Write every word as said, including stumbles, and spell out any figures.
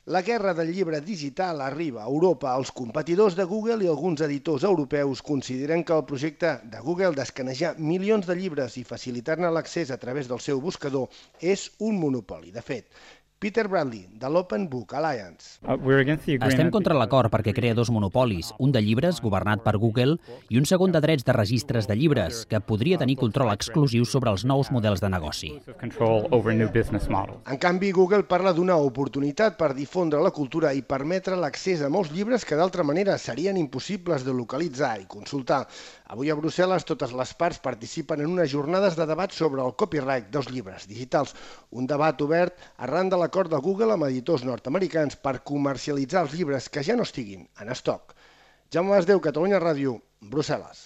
La guerra del llibre digital arriba a Europa. Els competidors de Google i alguns editors europeus consideren que el projecte de Google d'escanejar milions de llibres i facilitar-ne l'accés a través del seu buscador és un monopoli. De fet, Peter Bradley, de l'Open Book Alliance. Estem contra l'acord perquè crea dos monopolis, un de llibres, governat per Google, i un segon de drets de registres de llibres, que podria tenir control exclusiu sobre els nous models de negoci. En canvi, Google parla d'una oportunitat per difondre la cultura i permetre l'accés a molts llibres que d'altra manera serien impossibles de localitzar i consultar. Avui a Brussel·les totes les parts participen en unes jornades de debat sobre el copyright dels llibres digitals, un debat obert arran de l'acord de Google amb editors nord-americans per comercialitzar els llibres que ja no estiguin en estoc. Jaume Masdeu, Catalunya Ràdio, Brussel·les.